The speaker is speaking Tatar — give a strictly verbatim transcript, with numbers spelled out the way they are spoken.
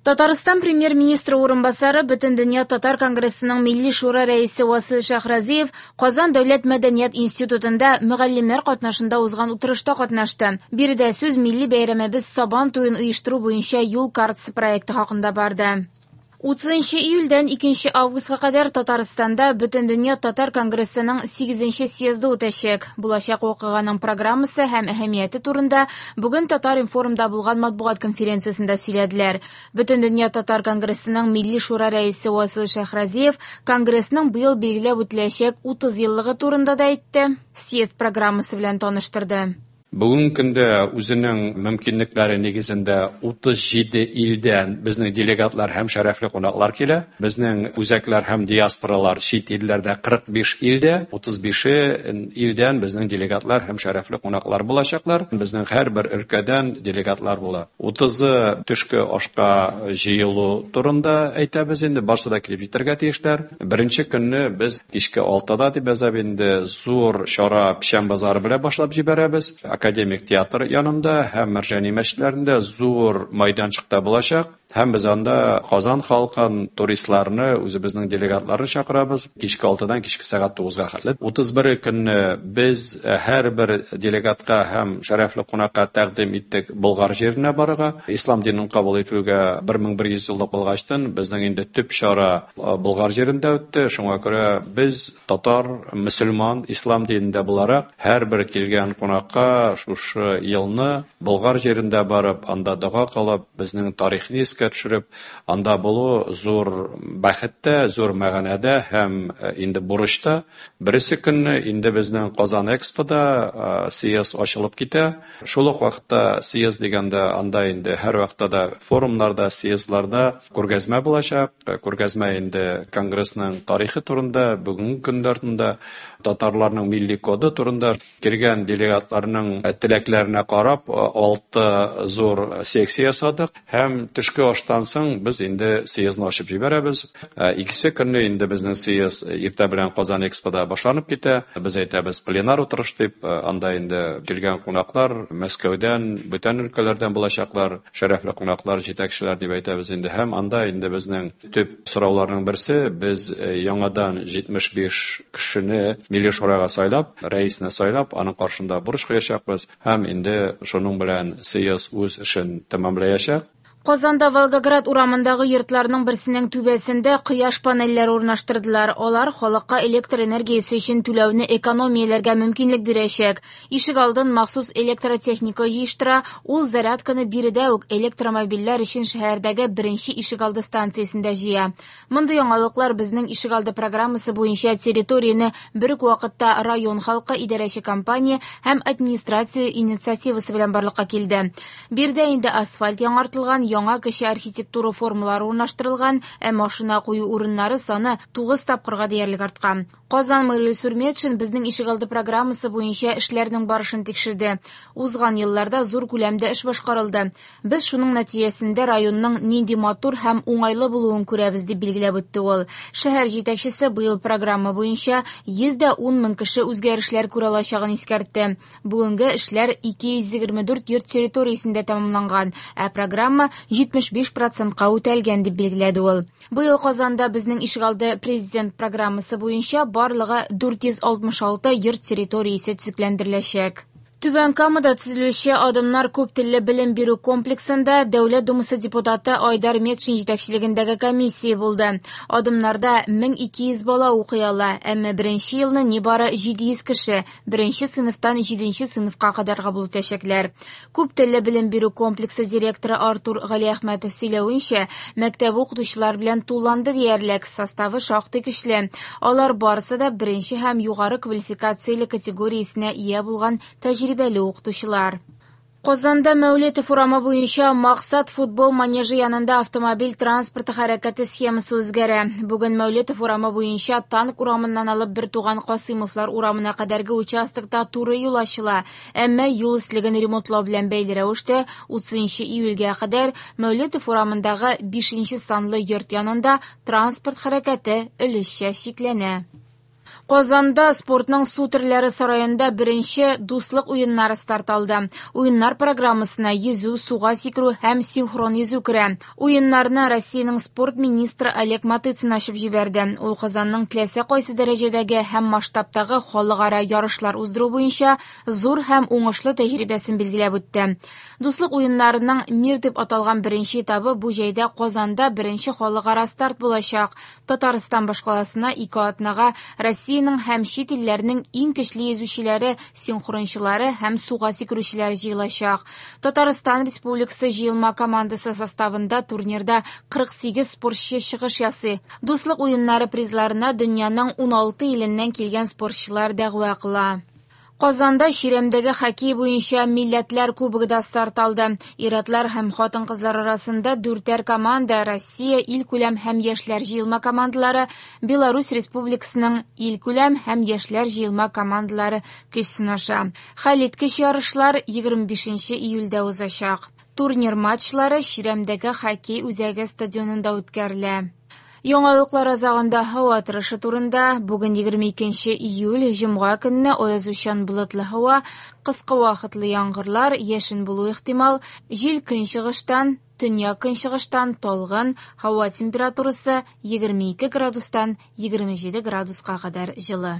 Татарстан премьер-министры урынбасары, Бөтендөнья татар конгрессының Милли шура рәисе Васил Шәйхразиев Казан дәүләт мәдәният институтында мөгаллимнәр катнашында узган утырышта катнашты. Биредә сүз милли бәйрәмебез Сабан туен оештыру буенча юл картасы проекты хакында барды. Утызынчы июльдән икенче августка кадәр Татарстанда Бөтендөнья татар конгрессының сигезенче съезды үтәчәк. Булачак вакыйганың программасы һәм әһәмияте турында бүген Татар-информда булган матбугат конференциясендә сөйләделәр. Бөтендөнья татар конгрессының Милли шура рәисе Васил Шәйхразиев конгрессның быел билгеләп үтеләчәк утыз еллыгы турында да әйтте, съезд программасы белән таныштырды. Бүгенге көндә үзенең мөмкинлекләре нигезендә утыз җиде илдән безнең делегатлар һәм шәрәфле кунаклар килә. Безнең үзәкләр һәм диаспоралар чит илләрдә кырык биш илдә, утыз бише илдән безнең делегатлар һәм шәрәфле кунаклар булачаклар. Безнең һәрбер өлкәдән делегатлар була. Утызы төшке ашка җыелу турында әйтәбез инде, барсы да килеп җитәргә тиешләр. Беренче көнне без кичке алтыда дип язабыз инде, зур чара Печән базары белән башлап җибәрәбез. Академик театр янында һәм Мәрҗани мәчетләрендә зур майданчыкта булачак. Һәм без анда Казан халкын, туристларны, үзебезнең делегатларны чакырабыз. Кичке алтыдан кичке сәгать тугызга хәтле. Утыз бере көнне без һәрбер делегатка һәм шәрәфле кунакка тәкъдим иттек Болгар җиренә барырга. Ислам динен кабул итүгә бер мең бер йөз еллык булгачтын безнең инде төп чара Болгар җирендә үтте. Шуңа күрә без татар, мөселман, ислам динендә буларак һәрбер килгән кунакка шушы елны Болгар җирендә барып, анда дога кылып, безнең тарихны искә төшереп, анда булу зур бәхеттә, зур мәгънәдә һәм инде бурычта. Беренче көнне инде безнең Казан Экспода съезд ачылып китә. Шул ук вакытта съезд дигәндә анда инде һәр вакытта да форумнарда, съездларда күргәзмә булачак. Күргәзмә инде конгрессның тарихы турында, бүгенге көннәр турында, татарларның милли коды турында, килгән делегатларның теләкләренә карап алты зур секция ясадык һәм төшке аштан соң без инде съездны ачып җибәрәбез. Икесе көнне инде безнең съезд иртә белән Казан Экспода башланып китә. Без әйтәбез пленар утырыш дип, анда инде килгән кунаклар Мәскәүдән, бүтән өлкәләрдән булачаклар, шәрәфле кунаклар, җитәкчеләр дип әйтәбез инде. Һәм анда инде безнең төп сорауларның берсе, без яңадан җитмеш биш кешене Милли шурага сайлап, рәисне сайлап, аның каршында бурыч куячакбыз һәм инде шуның белән съезд үз эшен тәмамлаячак. Казанда Волгоград урамындагы йортларның берсенең түбәсендә кояш панельләре урнаштырдылар. Алар халыкка электр энергиясе өчен түләүне экономияләргә мөмкинлек бирәчәк. Ишек алдын махсус электротехника җыештыра. Ул зарядканы биредә үк электромобильләр өчен шәһәрдәге беренче ишегалды станциясендә җыя. Мондый яңалыклар безнең ишегалды программасы буенча территорияне бер үк вакытта район халкы, идарәче компания һәм администрация инициативасы белән барлыкка килде. Биредә инде асфальт яңартылган, яңа кече архитектура формалары урнаштырылган, ә машина кую урыннары саны тугыз тапкырга диярлек арткан. Казан мэры Илсур Метшин безнең ишегалды программасы буенча эшләрнең барышын тикшерде. Узган елларда зур күләмдә эш башкарылды. Без шуның нәтиҗәсендә районның нинди матур һәм уңайлы булуын күрәбез, дип билгеләп үтте ул. Шәһәр җитәкчесе быел программа буенча йөз дә ун мең кеше үзгәрешләр күрә алачагын искәртте. Бүгенге эшләр ике йөз егерме дүрт йорт территориясендә тәмамланган, ә программа җитмеш биш процентка үтәлгән, дип билгеләде ул. Быел Казанда безнең ишегалды президент программасы буенча барлыгы дүрт йөз алтмыш алты йорт территориясе төзекләндереләчәк. Түбән Камада төзелүче Адымнар күп телле белем бирү комплексында Дәүләт Думасы депутаты Айдар Метшин җитәкчелегендәге комиссия булды. Адымнарда мең ике йөз бала укый ала, әмма беренче елны нибары җиде йөз кеше беренче сыйныфтан җиденче сыйныфка кадәр кабул итәчәкләр. Күп телле белем бирү комплексы директоры Артур Галиәхмәтов сөйләвенчә, мәктәп укытучылар белән тулланды диярлек, составы шактый көчле. Алар барысы да беренче һәм югары квалификацияле категориясенә ия булган тәҗрибәле укытучылар. Казанда Мәүлетов урамы буенча Максат футбол манежы янында автомобиль транспорты хәрәкәте схемасы үзгәрә. Бүген Мәүлетов урамы буенча Танк урамыннан алып бер туган Касыймовлар урамына кадәрге участокта туры юл ачыла. Әмма юл өслеген ремонтлау белән бәйле рәвештә утызынчы июльгә кадәр Мәүлетов урамындагы бишенче санлы йорт янында транспорт хәрәкәте өлешчә чикләнә. Казанда спортның су төрләре сараенда беренче Дуслык уеннары старт алды. Уеннар программасына йөзү, суга сикерү һәм синхрон йөзү керә. Уеннарны Россиянең спорт министры Олег Матыцин ачып җибәрде. Ул Казанның теләсә кайсы дәрәҗәдәге һәм масштабтагы халыкара ярышлар уздыру буенча зур һәм уңышлы тәҗрибәсен билгеләп үтте. Дуслык уеннарының Мир дип аталган беренче этабы бу җәйдә Казанда беренче халыкара старт булачак. Татарстан башкаласына ике атнага Россия һәм чит илләрнең иң көчле йөзүчеләре, синхрончылары һәм суга сикерүчеләре җыелачак. Татарстан Республикасы җыелма командасы составында турнирда кырык сигез спортчы чыгыш ясый. Дуслык уеннары призларына дөньяның уналты иленнән килгән спортчылар дәгъва кыла. Казанда чирәмдәге хоккей буенча милләтләр кубогы да старт алды. Ир-атлар һәм хатын-кызлар арасында дүртәр команда Россия илкүләм һәм яшьләр җыелма командалары, Беларусь Республикасының илкүләм һәм яшьләр җыелма командалары көч сынаша. Хәлиткеч ярышлар егерме бишенче июльдә узачак. Турнир матчлары чирәмдәге хоккей үзәге стадионында үткәрелә. Яңалыклар азагында һава торышы турында. Бүген егерме икенче июль, җомга көнне аязучан болытлы һава, кыска вакытлы яңгырлар, яшен булу ихтимал, җил көнчыгыштан, төньяк көнчыгыштан талгын, һава температурасы егерме ике градустан егерме җиде градуска кадәр җылы.